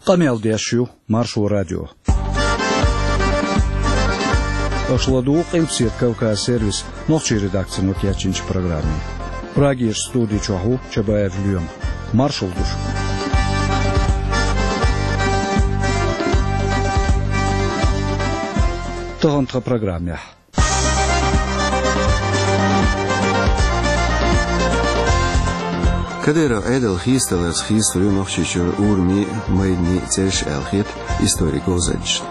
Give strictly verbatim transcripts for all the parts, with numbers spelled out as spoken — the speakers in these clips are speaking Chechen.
Къамел деш ю Маршо радио. Аша ладугӀу Къилбседа Кавказ сервисан нохчийн редакцино кечйинчу программе. Прагерчу студи чохь ву Чабаев Лоьма. Маршалла ду шуьга. Тахана тхан программехь. Кадыров Ӏедал хийцадаларца хийцалур ю Нохчийчуьра урамийн а, майданийн а цӀераш аьлла хета историн говзанчашна.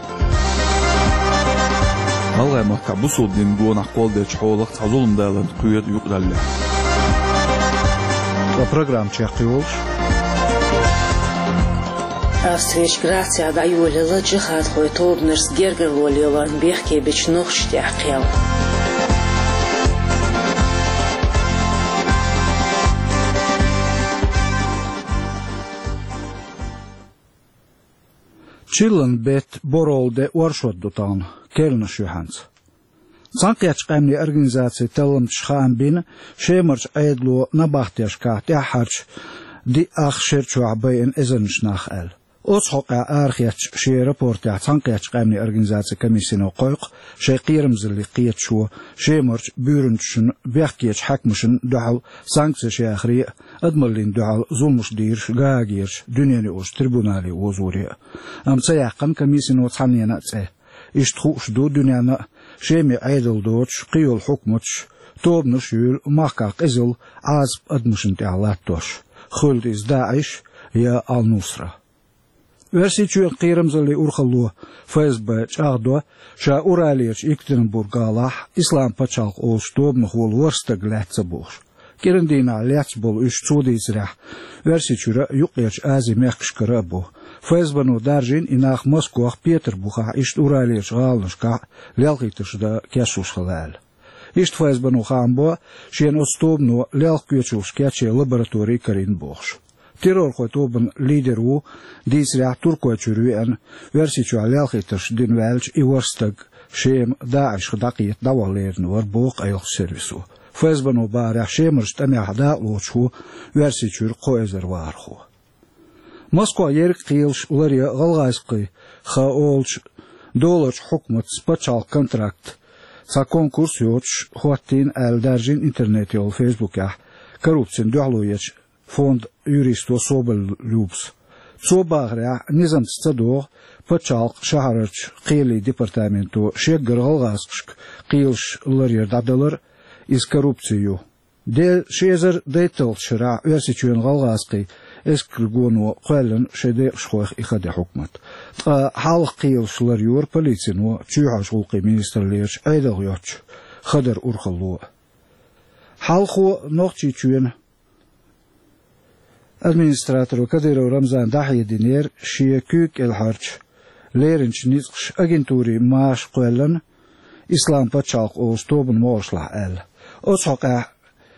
ГӀалгӀайн махкахь бусалба динан гонах кхолладеллачу хьолах цхьа зулам даларна кхоьру юкъараллехь. Ткъа программа чекхйолуш. Австрерчу Грацехь дӀайолаелла джихадхойн тобанашца гергарло лелорна бехке бечу нохчашна тӀехь кхел. Чиллан беттан борхӀалгӀа де оршот ду тахана, керланаш юьхьанца. Цхьаьнакхеттачу къаьмнийн организацин талламчаша хаам бина, Шемарчу Ӏедало набахтешкахь тӀаьххьарчу диъ-ах шера чохь байина эзарнаш нах аьлла. Оцу хьокъехь арахецначу шен рапортехь Цхьаьнакхеттачу къаьмнийн организацин комиссино кхойкху шайн кхерамзаллин кхеташо Шемарчу буьйранчашна, бехкечу хьаькамашна дуьхьал санкцеш яхаре а, адамаллина дуьхьал зуламаш дийраш Гаагерчу дуьненаюкъарчу трибунале озоре а. Амма ца яьккхина комиссино цхьаннена а цӀе. Иштта хууш ду дуьненна а, Шеман Ӏедал доцуш кхийолу хьукматаш тобанаш а юьйлу махкахь къизалла, Ӏазап адамашна тӀехь латтош, хуьлда иза ДаӀиш я Ал-Нусра. Оьрсийчоьнан кхерамзаллин урхалло ФСБ чӀагӀдо, ша Уралерчу Екатеринбург-гӀалахь Ислам пачхьалкх олучу тобанах волу ворхӀ стаг лаьцна ца бохуш. КӀиран дийнахь лаьцна болу уьш, цо дийцарехь, Оьрсийчуьра а, Юккъерчу Азин мехкашкара а бу. ФСБ-но даржийна и нах Москох, Петарбухехь, иштта Уралерчу гӀаланашкахь лелхийтарш дан кечлуш хила аьлла. Иштта ФСБ-но хаам бо, шена оцу тобано лелха коьчалш кечъян лаборатори карийна бохуш. Террорхойн тобанан лидер ву, дийцарехь, Туркойчуьра веана, Оьрсийчохь лелхийтарш дина ваьллачу и ворхӀ стаг Шема ДаӀишах дӀакхета дӀаваха лерина вара, боху къайлахчу сервисо. ФСБ-но бахарехь, Шемарчу тӀамехь дакъалоцуш ву Оьрсийчуьра кхо эзар вахархо. Москох ерриг а кхелаш ларъян гӀалгӀазкхий хан олучу доларчу хьукматца пачхьалкхан контракт, цхьа конкурс йоцуш, хӀоттийна аьлла даржийна интернете йолу Фейсбукехь коррупцина дуьхьало ечу фондан юристо Соболь Любас. Цо бахарехь, низамца ца догӀу пачхьалкхан шахьарарчу кхелийн департаменто шеггара гӀалгӀазкхашка кхелаш ларъяр дӀадалар, иза коррупци ю. Делан ши эзар дейтталгӀачу шарахь Оьрсийчоьнан гӀалгӀазкхийн эскаргоно кхоьллина шайн декъашхойх и хан де хьукмат. Ткъа хьалха кхелаш ларйора полицино, чоьхьарчу гӀуллакхийн министраллерачу Ӏедалх йоцчу хадаран урхалло. Хьалхо Нохчийчоьнан администраторо Кадыров Рамзана дӀахьединера шен куьйга кӀелхьарчу леринчу ницкъаша агентурин маша кхоьллина Ислам пачхьалкх олучу тобанан могӀаршлахь аьлла. Оцу хьокъехь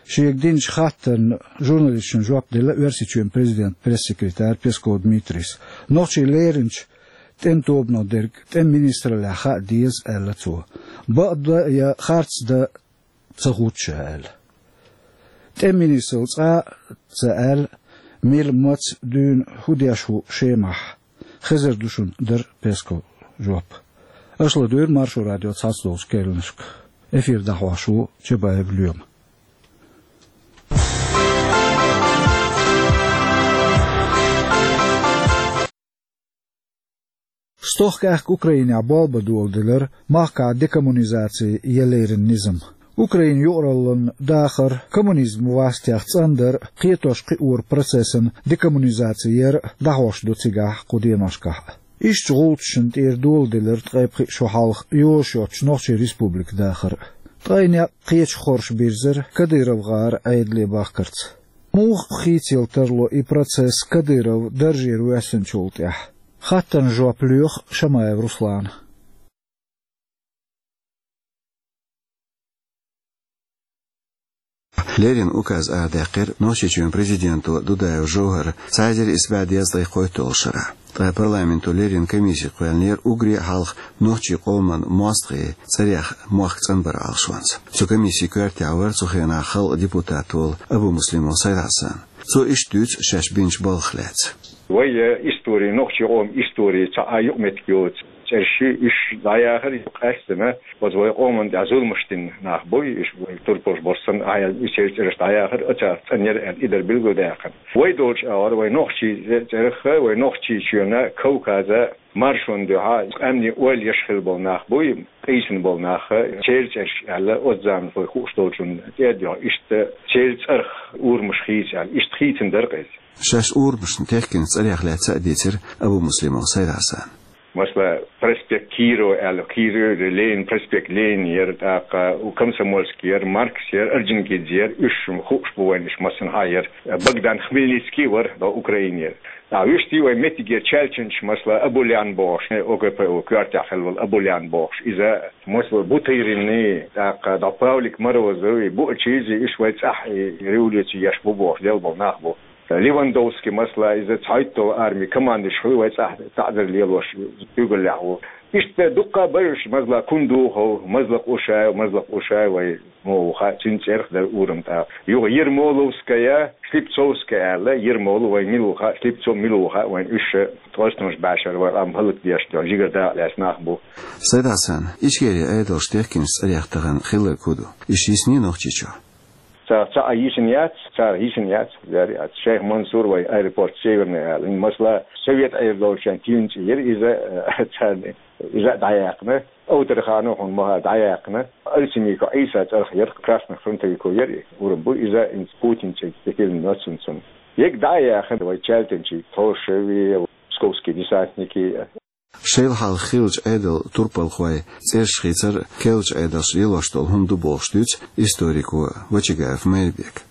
шега динчу хаттарна журналисташна жоп делла Оьрсийчоьнан президентан пресс-секретарь Песков Дмитрийс. Нохчийн леринчу тӀеман тобано дерг тӀеман министраллехь хаа деза, аьлла цо. Бакъдан я харцдан ца хууш ша аьлла. ТӀеман министралла цкъа а ца аьлла, мила, маца, дуьйна хӀун деш ву Шемахь, хезар ду шуна, дара Песковн жоп. Аша ладуьйгӀира Маршо радион цхьацдолчу керланашка. Эфир дӀахьош ву Чабаев Лоьма. Стохка аьхка Украинехь болх бан доладелира махкахь декоммунизаци я леррина низам. Украинан юкъараллин дахар коммунизман вастех цӀандар а, кхетош-кхиоран процессан декоммунизаци яр а дӀахьош ду цигахь кху деношкахь. Иштта гӀулчашна тӀера доладелира ткъе пхиъ шо хьалха йозуш йоцчу Нохчийн республикан дахар а. Ткъе некъ кхечу хорша бирзира Кадыров-гӀаран Ӏедале бахкарца. Муха хийцаялла тарло и процесс Кадыров даржера воьссинчул тӀаьхьа? Хаттарна жоп лоьху Шамаев Руслана. Леррина указ арадаьккхира Нохчийчоьнан президенто Дудаев ЖовхӀара цхьа эзар исс бӀе дезткъе кхойтталгӀачу шарахь. Ткъа парламенто леррина комисси кхоьллинера уггаре а хьалха нохчийн къоман мостагӀийн цӀерех мохк цӀанбаран Ӏалашонца. Цу комиссин коьртехь вара цу хенахь халкъан депутат волу Абумуслимов Сайд-Хьасан. Цо иштта дуьйцу шаьш бинчу балхах лаьцна. Вай, э, истори, нохчий къоман истори цхьа а юкъаметтиг йоцу цӀераш, уьш дӀаяхар къаьстина, оцу вай къоман тӀехь зуламаш дина нах буй, уьш вай турпалш бохуш санна, а, уьш церан цӀераш дӀаяхар, оцарах цӀанъяра аьлла, и дара билгалдаьккхина. Вай долчу агӀор, вай нохчий цӀе-, цӀерах, вай Нохчийчоьнан, Кавказан маршонна дуьхьа къаьмнийн ойла еш хилла болу нах буй, къийсина болу нах, церан цӀераш аьлла, оцу заманахь вай хууш долчунна тӀе а дуьхьа, иштта церан цӀарах урамаш хийца аьлла, иштта хийцина дара-кх иза. Шаьш урамашна техкина цӀарех лаьцна а дийцира Абумуслимов Сайд-Хьасана. Масала, проспект Кирова аьлла, Кирова, Ленин, проспект Ленин яра, тӀаккха Комсомольский яра, Маркс яра, Орджоникидзе яра, уьш хууш бу вайна, уьш массанхьа яра. Богдан Хмельницкий вара, до Украины яра. ТӀаккха вуьшта вай меттигера чаьлчанчаш, масала, Абулян бохуш, ОГПУ коьртехь хилла волу Абулян бохуш, иза, масала, Бутырины, тӀаккха дӀа Павлик Морозови, Буачизи, уьш вай цӀахь и революци еш бу бохуш, делла болу нах бу. Левандовский, масала, иза цхьайтталгӀа арми командующий хуьлу, вай цӀахь таӀзар лелош куьйгаллехь ву. Иштта дуккха а бара уьш, масала, Кундухов, Мазлакъ Ушаев, Мазлакъ Ушаев вай муха ву хаьа, цуьнан цӀерах дара урам тӀаккха. Юха Ермоловская, Слепцовская аьлла, Ермолов вайн мила ву хаьа, Слепцов мила ву хаьа вайн, уьш ткъостанаш бӀешара вай къам хӀаллакдеш, жигара дакъа лаьцна нах бу. Сайд-Хьасан, Ичкерин Ӏедалш техкинчу цӀарех тахана хилларг хӀун ду? Уьш йисний Нохчийчохь? Цара цхьа а йисина яц, цара йисина яц, яра яц. Шайх Мансур вай аэропорт Северный аьлла. Масала, совет Ӏер долчохь тиллина цӀе яра иза, царна иза а дӀаяьккхина. Овтарханов хьуна ма хаьа дӀаяьккхина. Алсимиков Ӏийса цӀарах яра, красных фронтовиков яра и, урам бу иза, хӀинца Путин цӀе тӀе тиллина йоццуна цунна. Ега дӀа а яьккхина вай чаьлтанчий, Тхошеви, псковский десантники. Шайла хьалха хиллачу Ӏедалан турпалхойн цӀераш хийцар керлачу Ӏедалша лелош долу хӀума ду бохуш дуьйцу историко Вачагаев Майрбека.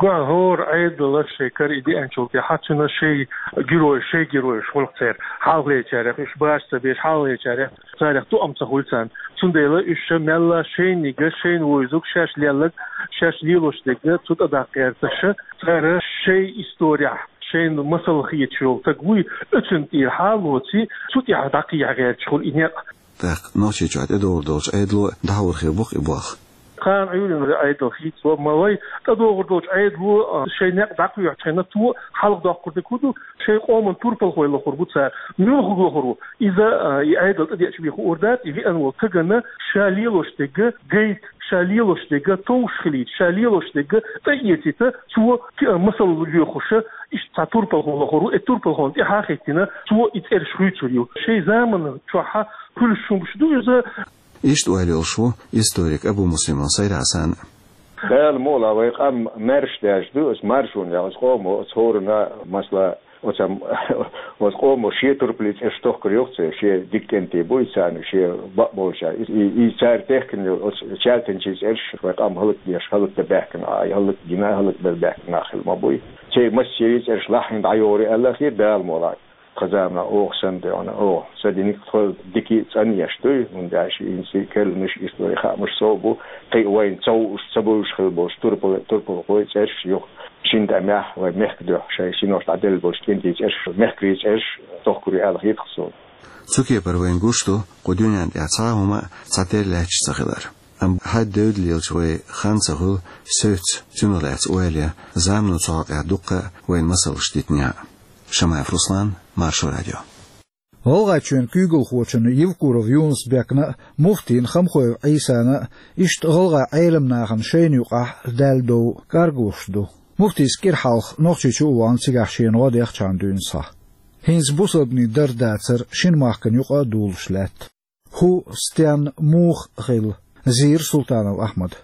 Гой, хӀора Ӏедало шайн кара и деанчул тӀаьхьа цуьнан шайн герой, шайн геройш хуьлу церан. Хьалхалерчарех уьш баш ца беш, хьалхалерчарех царех тоам ца хуьлу царна. Цундела уьш ша мелла шайниг, шайна вевзарг, шаьш лелларг, шаьш лелош дерг цу тӀе даккха гӀерташ, цара шайн исторехь шайна масал хеташ йолу стаг вуй, оьцунна тӀера хьалоций, цу тӀехь дӀакхехьа гӀерташ хуьлу и некъ. ТӀаккха Нохчийчохь тӀедогӀур долчу Ӏедало дӀахьур хир бу-кх и болх. Кхана Ӏуьйранна Ӏедал хийцаво, ма вай тӀедогӀур долчу Ӏедало, а, шайн некъ дӀакхоьхьучу хенахь цо хьалхадоккхур дерг хӀун ду, шайн къоман турпалхой лохур бу цара. Муьлхарг лохур ву? Иза, а, и Ӏедал тӀедеача бен хуур дац, и веана волу стагана ша лелош дерг гайта, ша лелош дерг товш хилийта, ша лелош дерг тӀеэцийта, цо ки-, масал лоьхуш, иштта цхьа турпалхо лохур ву, и турпалхонна тӀаьхьа а хӀиттина, цо и цӀераш хуьйцур ю. Шайн заманан чохь хуьлуш хӀумаш ду иза. Иштта ойла йолуш ву историк Абумуслимов Сайд-Хьасан. Дала мукъалахь, вай къам маьрша даьржа ду, оцу маршонехь, оцу къомо, оцу хӀоранна, масала, оцу, оцу къомо шен турпалан цӀераш тохкур ю-кх церан, шен дика кӀентий буй царна, шен бакъболчарна. И, и, и цара техкина йолу оцу чаьлтанчийн цӀераш вай къам хӀаллакдеш, хӀаллакдан баьхкина, а, хӀаллакдина, хӀаллакбар баьхкина нах хилла ма буй. Церан массеран цӀераш лахьийна дӀайогӀур ю аьлла хир, Дала мукъалахь. Тхан заманахь оха санна тӀе вахана, оха сан диниг тхо дика а цӀанъеш дуй, хӀунда аьлча хӀинца керланаш, историн хаамаш сов бу, кхин а вайна ца хууш, ца бовзуш хилла болчу турпал-, турпалхойн цӀераш юха шина тӀамехь вайн мехкан дуьхьа шайн синош дӀаделла болчу кӀентийн цӀераш, мехкарийн цӀераш тохкур ю аьлла хета-кх суна. Цу кепара вайна гуш ду кху дуьнен тӀехь цхьа а хӀума цхьатерра лаьтташ ца хилар. Амма хьаьдда девдда лелачу вай хан ца хуьлу севцца, цунах лаьцна ойла ян, замано цу хьокъехь дуккха а вайна масалш дитинехь а. Шамаев Руслан, Маршо радио. ГӀалгӀайчоьнан куьйгалхочунна Евкуров Юнус-Бекна а, муфтийна Хамхоев Ӏийсана а иштта гӀалгӀайн Ӏеламнахана шайна юкъахь даьлла дов кӀаргалуш ду. Муфтийс кӀира хьалха Нохчийчу а вахана, цигахь шена гӀо дехчахьана дуьйна схьа. ХӀинца бусалбанийн дар-дацар шина махкана юкъа а дулуш лаьтта. ХӀун, стенна, муха хилла? Зийра Султанов Ахьмада.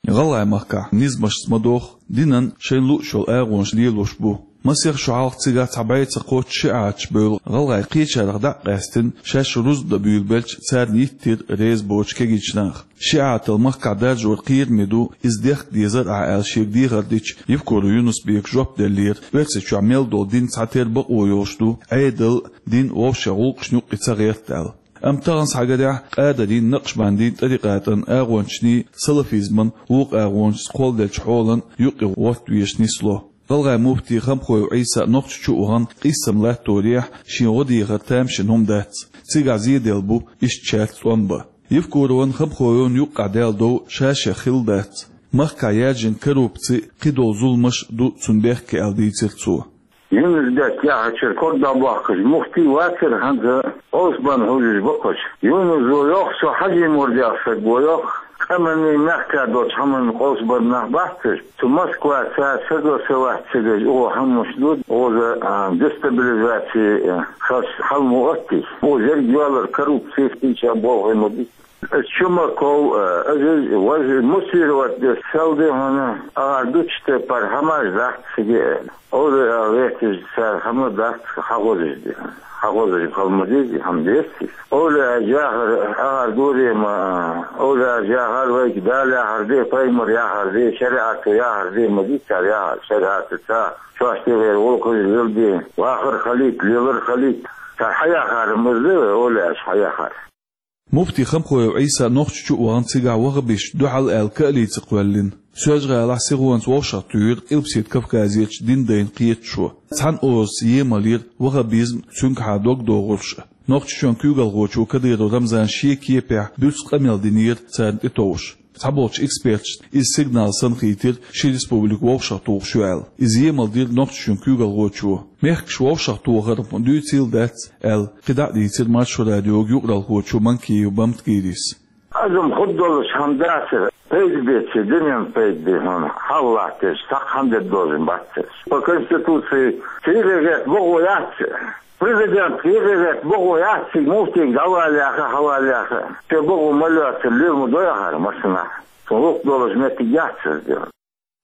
ГӀалгӀай махкахь низамашца ма догӀу, динан шайна лууш йолу агӀонаш лелош бу. Масех шо хьалха цигахь цхьа бӀе ца кхоччуш шиӀаташ бевлла, гӀалгӀай кхечарах дӀа а къаьстина, шаьш рузба дан буьйлабелча, царна йиттира реза боцуш кегийчу наха. ШиӀатал махкахь даржор кхераме ду, иза дехка дезара ахь аьлла шега дехар дича, Евкуров Юнус-Бека жоп деллера, Оьрсийчохь мел долу дин цхьатерра бакъо йолуш ду, Ӏедал, дин вовшех гӀуллакхашна юккъе ца гӀерта аьлла. Амма тахана схьагарехь, Къадарийн, Накъшбандийн тӀарикъатан агӀончашний, салафизман вукху агӀончашца кхолладеллачу хьолан юккъе гӀорта везаш нисло. ГӀалгӀайн муфти Хамхоев Ӏийса Нохчийчу а вахана, къийсам латторехь, шен гӀо дехар тамашийна хӀума дац. Цигахь зеделла бу иштта шаьрца тӀом бан. Евкуровн, Хамхоевн юккъехь даьлла дов ша-шех хилла дац. Махкахь яьржина коррупци, кхидолу зуламаш а ду цунна бехке аьлла дийцира цо. Юнус-Бек яхачуьра ког дӀабоаккхаш муфти вацар хӀанз, къовсабенна хьожаш ба кхоъ. Юнус ва йоах, со Хьажий Мурд яха саг ва йоах, къаманна, мехка долча хӀаманна къовсабар нах бац уж. Цу Москваца саго са вац цига, угӀо хӀамаш ду, укхаза, а, дестабилизаци, а, хас хьал ма оттий. Укхаза еррига йоалар коррупци, кхыча болх ма бий. Чумаков, э, Азиз, важа муссировать деш сел ди хьона, агӀар дучу тайпара хӀамаш дац цига. Оле а вехаш цара хӀама дац, хьахозаш ди. Хьахозаш хала ма дезий, хӀама дезий. Оле а яхар, агӀар дуре ма, оле а яхар вайга Дала яхар де, пайхамар яхар де, шариӀато яхар де ма дий цар яхар, шариӀатаца. Шоаш тӀера вокхуш лила де, вахар хилийта, лелар хилийта. Цар хьаяхар маза, оле аш хьаяхар. Муфти Хамхоев Ӏийса Нохчийчу а вахана, цигахь ваххабисташна дуьхьал аьлла каалица кхоьллина. Соьлжа-ГӀалахь сихонца вовшахтуьйра Къилбаседа Кавказерчу динан дайна кхеташо. Цхьана озаца емал йира ваххабизм, цуьнгахьа дог догӀурш а. Нохчийчоьнан куьйгалхочо Кадыров Рамзана шен кепехь буьрса къамел динера царна тӀетовжаш. Цхьаболчу эксперташна иза сигнал санна хийтира, ши республика вовшахтухуш ю аьлла. Иза емал дира Нохчийчоьнан куьйгалхочо. Мехкаш вовшахтохар дуьйцийла дац аьлла, кхидӀа а дийцира Маршо радиога юкъаралхочо Манкиев Бамтгирис. Адам хӀун долуш хӀама дацара, пайда беце, дуьненна пайда бе хьуна, хьалха латташ, цхьаккха хӀама де дозуш бац цаьрца. По Конституции цигара гӀерта бохо яц, президент цигара гӀерта бохо яц, цига муфтига дӀавала яха, хьавала яха. Те бохо ма лоьцура, луьра ма дой ахьара массанахьа. Цунна гӀуллакх долуш меттиг яц цаьрца.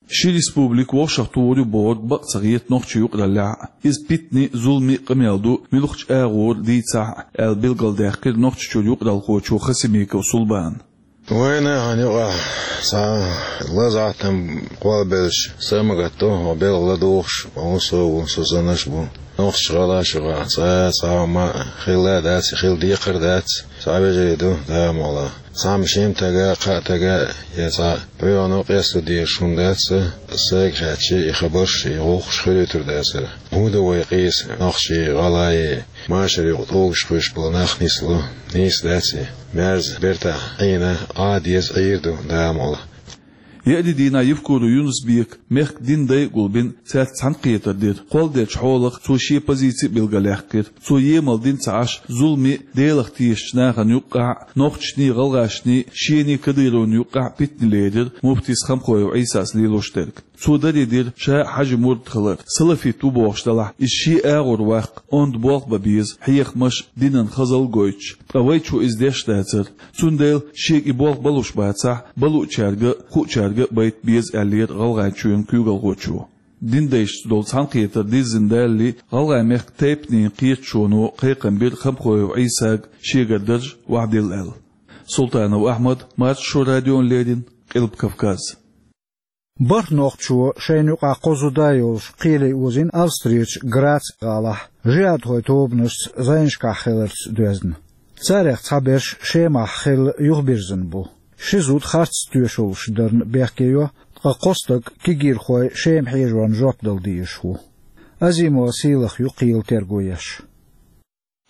Ши республика вовшахтухур ю бохург бакъ ца хета нохчийн юкъараллехь а. Иза питане, зуламе а къамел ду, муьлххачу агӀора дийцахь а, аьлла билгалдаьккхира Нохчийчуьра юкъаралхочо Хасимиков Сулбана. Вайна хьан юкъахь цхьа лазахь там кхолбеллачу са ма гатто, хьо белхан ладугӀуш, хьо хӀун со ву, со санаш а бу. Нохчийн гӀалгӀашна юкъахь цхьа а цхьа хӀума хилла а дац, хила декхар а дац, цхьа вежарий ду, да а ма вала. Цхьамма шимма тага, кхаа тага, я цхьа пхьоьгӀано къесто дезаш хӀума дац сан, сайга хаьттича, и хабарш, и гӀуллакхаш хуьлуьйтур дацара. ХӀун ду вай къийса, нохчий, гӀалгӀай, машар юкъа тӀулгаш кхуьйсуш болу нах нисло? Нийса дац и. Маьрза бертахь Ӏийна, Ӏа деза Ӏийр ду, да а ма вала. Еарин дийнахь Евкуров Юнус-Бека мехкан динан дай а гулбина, цаьрца цхьаьнакхетар дира. Кхолладеллачу хьолах цо шен позици а билгалъяьккхира. Цо емал дина ца Ӏаш, зуламе а, Делах тешачу нахана юккъехь а, нохчашний, гӀалгӀашний, шений, Кадыровн юккъехь а питане лерира муфтис Хамхоев Ӏийсас лелош дерг. Цо даре дира ша а Хьажин мурд хилар. Салафит ву бохуш делахь, иза шен агӀор ваккха, онда болх бан беза, хьехамаш, динан хазалла гойтуш. Ткъа вайчо иза деш дацара. Цундела шега и болх балуш бацахь, балуучаьрга а, хуучаьрга а байта беза, аьллера ГӀалгӀайчоьнан куьйгалхочо. Динан дайшца долу цхьаьнакхетар дирзина далале, ГӀалгӀай-мехкан тайпанийн кхеташоно кхайкхам бира Хамхоев Ӏийсага шегара дарж охьадилла аьлла. Султанов Ахьмад, Маршо радиона леррина, Къилба Кавказ. БархӀ нохчо шайна юкъахь кхо зуда йолуш кхеле озийна Австрерчу Грац гӀалахь, жихӀадхойн тобанашца зӀенашкахь хиларца доьзна. Царех цхьаберш Шемахь хилла юхабирзина бу. Ши зуда харц тоьшаллаш дарна бехке йо, ткъа кхо стаг кегийрхой Шема хьежорна жоп дала дезаш ву. Азимова Сийлаха ю кхелан терго еш.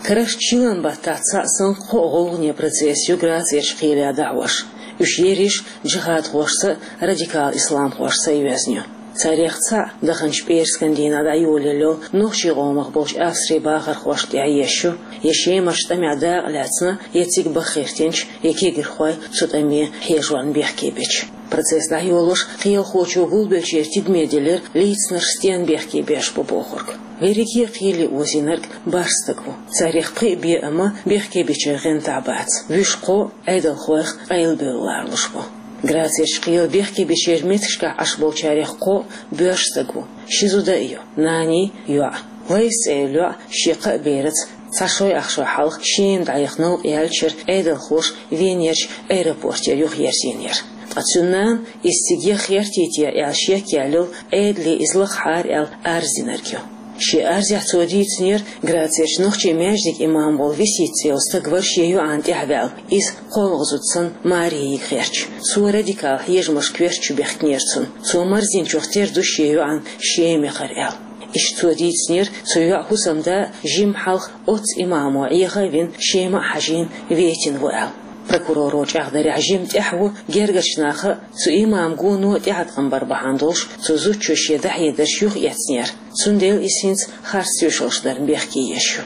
Карарчу шина баттахь цхьаъ санна кхо гӀулгӀане процесс ю Грацерчу кхеле дӀахьош. Уьш ерриш джихӀадхошца а, радикал исламхошца а йоьзна ю. Царех цхьаъ даханчу пӀераскан дийнахь дӀайолаелла йолу нохчийн къомах болчу Австрин бахархошна тӀехь езаш ю, я Шемарчу тӀамехь дакъа лаьцна, я цига баха хӀиттинчу, я кегийрхой цу тӀаме хьежорна бехке бича. Процесс дӀайолош, кхелахочо гулбеллачеран тидаме делира, лийцинарш стенна бехке беш бу бохург. Верриге а кхеле озийнарг бархӀ стаг ву. Царех пхиъ бен а ма бехке бича гӀентахь бац. Вуьш кхо Ӏедалхойх къайлабевлла лоруш бу. Грацерчу кхеле бехке бичеран меттигашкахь Ӏаш болчарех кхо боьрша стаг ву. Ши зуда а ю, наний, йоӀ. Лайс цӀе йолу йоӀ шен кхаа бераца цхьа шой ах шо хьалха Шема дӀаяхана ялчара Ӏедалхоша Венерчу аэропортера юхаерзийнера. Ткъа цуьнан нана иза цига яха гӀертий те аьлла шек яьлла йолу, Ӏедале иза лахахьара аьлла арз динарг ю. Шен арзехь цо дийцинера, Грацерчу нохчийн маьждиган имам волу Висита цӀе йолу стаг вара шен йоӀана тӀаьхьаваьлла, иза кхоалгӀа зуда санна маре йийга гӀерташ. Цо радикал хьежамашка коьртачу бехкинера цунна. Цо марздинчух тера ду шен йоӀана Шема яхар аьлла. Иштта цо дийцинера, цу йоьӀан хӀусамда жимма хьалха оццу имамо Ӏеха а вина, Шема а хьажийна, ветина ву аьлла. Прокуроро чӀагӀдарехь, жимма тӀехь ву гергарчу наха а, цу имаман гоно а тӀеӀаткъам бар бахьана долуш, цу зудчо шен дӀахьедарш юхаэцнера, цундела иза хӀинца харц тоьшаллаш дарна бехке еш ю.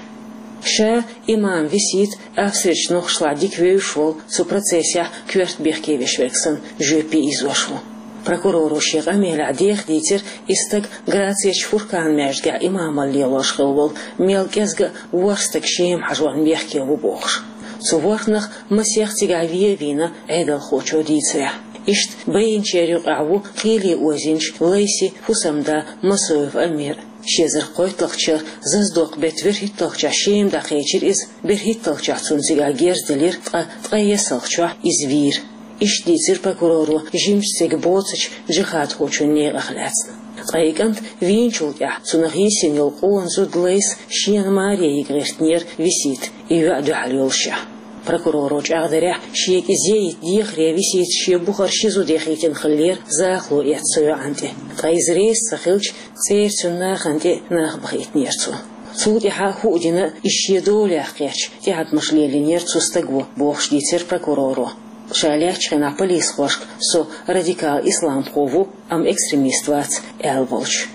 Ша имаман висит Австрерчу нохчашлахь дика вевзаш волу, цу процессехь коьрта бехке веш верг санна, жоьпе ийзош ву. Прокуроро шен къамелехь деха дийцира, и стаг Грацерчу Фуркана маьждигехь имамалла лелош хилла волу, мел кӀезга а ворхӀ стаг Шема хьажорна бехке ву бохуш. Цу ворхӀанах масех цигахь вен а вийна, Ӏедалхочо дийцарехь. Иштта байинчеран юкъахь ву кхеле озийначу Лайсин хӀусамда Масоев Амир. Ши эзар кхойтталгӀачу шарахь Зазадокъ-беттан берхӀитталгӀачохь Шема дӀакхечира иза, берхӀитталгӀачохь цунна цигахь герз делира, ткъа ткъе ессалгӀачохь иза вийра. Иштта дийцира прокуроро жимачу стеган боцучу джихадхочун некъах лаьцна. Ткъа и кӀант вийначул тӀаьхьа цунах йисина йолу къона зуда Лайса шена маре йига гӀиртинера висита, и йоӀ дуьхьал йолушехь. Прокуроро чӀагӀдарехь, шега иза яйта дехаре висита шен бухара ши зуда яхийтина хиллера захало эцна цу йоӀана тӀе. Ткъа иза реза ца хилча, цӀера цуьнан нахана тӀе нах бахийтинера цо. Цул тӀаьхьа хӀуъа дина, иза шен долехь кхетча, тӀеӀаткъамаш лелийнера цу стага, бохуш дийцира прокуроро. Ша лаьттачу хенахь полисхошка со радикал исламхо ву, амма экстремист вац, аьлла волчу.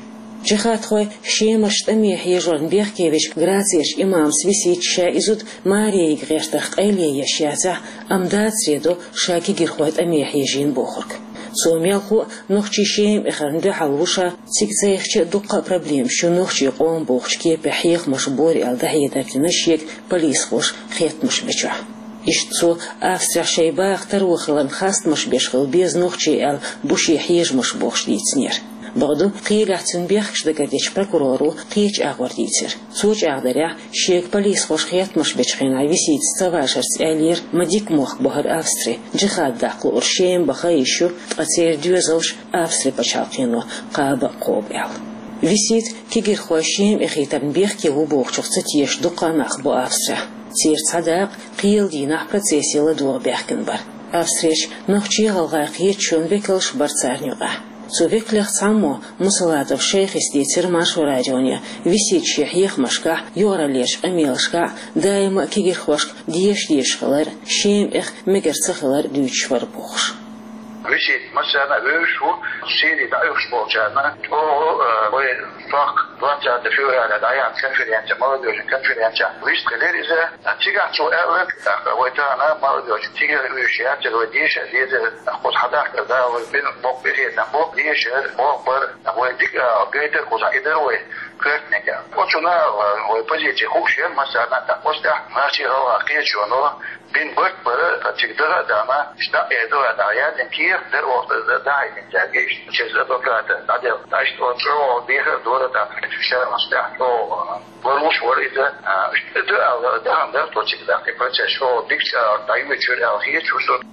Джихадхой Шемарчу тӀаме хьежорна бехке вечу Грацерчу имамас висита ша и зуда маре йига гӀертарх къайле еш яцахь, амма дацаре до ша кегийрхой тӀаме хьежийна бохург. Цо мелхо а нохчий Шема эхарна дуьхьал ву ша, цига цайхича а дуккха а проблемаш ю нохчий къоман бохучу кепехь хьехамаш бора аьлла дӀахьедар дина шега полисхоша хеттамаш бечохь. Иштта цо Австрехь шайн баха таро хиларна хастамаш беш хила беза нохчий аьлла бу шен хьежамаш бохуш дийцинера. Бакъду, кхелехь цуьнан бехкаш дагардечу прокуроро кхечу агӀор дийцира. Цо чӀагӀдарехь, шега полисхоша хеттамаш бечу хенахь виситас ца вашарца аьллера, ма дика мохк бу хӀара Австри, джихад даккха луург Шема баха йиш ю, ткъа церан доьзалш Австри пачхьалкхено кхаба а кхобу аьлла. Висита кегийрхой Шема эхийтарна бехке ву бохучух ца тешаш дуккха а нах бу Австрехь. Церан цхьа дакъа кхелан дийнахь процессе ладогӀа баьхкина бара. Австрерчу нохчий-гӀалгӀай кхеташонан векалш бара царна юкъахь. Цу векалех цхьаммо, Мусалатов Шайхис, дийцира Маршо радионе, висита шен хьехамашкахь, юкъараллерчу къамелашкахь даима а кегийрхошка деша дезаш хилар, Шема эха мегар ца хилар дуьйцуш вара бохуш. Висита массарна а вевзаш ву, Сири дӀаоьхуш болчарна чӀогӀа, э, вай сох двадцатого февраля дӀаяьхьна конференция, молодёжный конференция, вистхилира иза. Цигахь цо аьлла, тӀаккха вай тахана молодёжь цига вуьйш яцара, вай деша деза, кхуза хьадахкар да, вай бина боккха къинхетам бу, деша, боху бара, вай дика гайтар кхузахь, и дара вай коьртаниг. Оцунна вай позиция хууш яра массарна, тӀаккха оцу тӀехь нохчий-гӀалгӀай кхеташоно бина барт бара, цига даха а дахана, иштта дӀа а эр, даха а дахана, яздина кехат дара оха дӀахьаьжна цаьрга, иштта через адвоката дӀаделла. Иштта оцу чӀогӀа дехар а дора тӀаккха, шаьрмаш тӀехь чӀогӀа лоруш вара иза, а, иштта ду аьлла, дахана дара тхо цига, тӀаккха и процесс чӀогӀа дика, а, дӀайоьдуш яра аьлла хета шуна.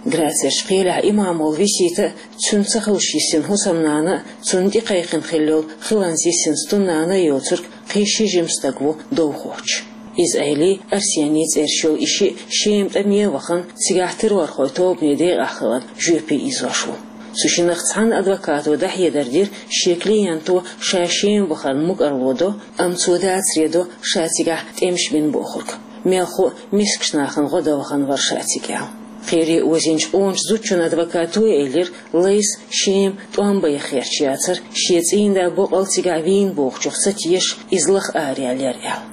Грацерчу кхелехь имам волу висита а, цуьнан ца хуьлуш йисина хӀусамнана а, цунна тӀекхайкхина хилла йолу хиланза йисина стуннана а йоцург кхин ши жима стаг ву довхочуш. Иза Ӏели, Арсений цӀераш йолу и шиъ Шема тӀаме а вахана, цигахь террорхойн тобанан декъахь хиларна жоьпе ийзош ву. Цу шиннах цхьана адвокато дӀахьедар дира, шен клиенто ша Шема вахарна мукӀарло до, амма цо дацаре до ша цигахь тӀемаш бина бохург. Мелхо а мискачу нахана гӀо дан вахана вара ша цига аьлла. Кхеле озийначу къоначу зудчун адвокато а элира, Лайса Шема тӀом бан яхарш яцара, шен цӀийнда боккъал цигахь вийна бохучух ца тешаш, иза лаха араяьллера аьлла.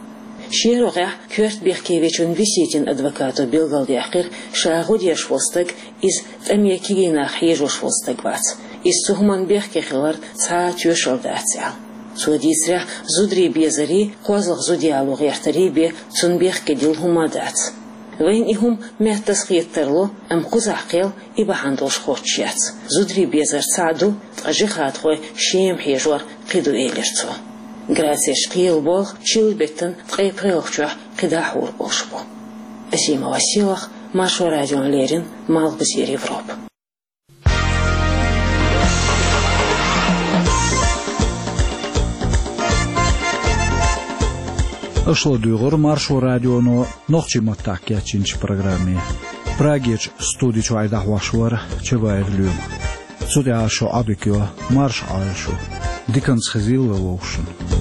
Шен рогӀехь коьрта бехке вечун виситин адвокато билгалдаьккхира, ша гӀо деш волу стаг иза тӀаме кегий нах хьежош волу стаг вац. Иза цу хӀуманна бехке хиларна цхьа а тоьшалла дац аьлла. Цо дийцарехь, зударий безарий, кхозлагӀа зуда яло гӀертарий бен цунна бехке дилла хӀума а дац. Вайна и хӀума меттаза хета тарло, амма кхузахь кхел и бахьана долуш хоттуш яц. Зударий безар цхьаъ ду, ткъа джихадхой Шема хьежор кхин ду, элира цо. Грацерчу кхелан болх чиллан беттан ткъе пхелагӀчохь кхидӀа хьур болуш бу. Асимова Селах, Маршо радиона леррина, Малхбузера Европа. Аша ладуьйгӀира Маршо радионо нохчийн маттахь кечйинчу программе. Прагерчу студи чуьра дӀахьош вара Чабаев Лоьма. Цу тӀехь шун Ӏодика йо, марша Ӏойла шу. Диканца хезийла вай вовшашна.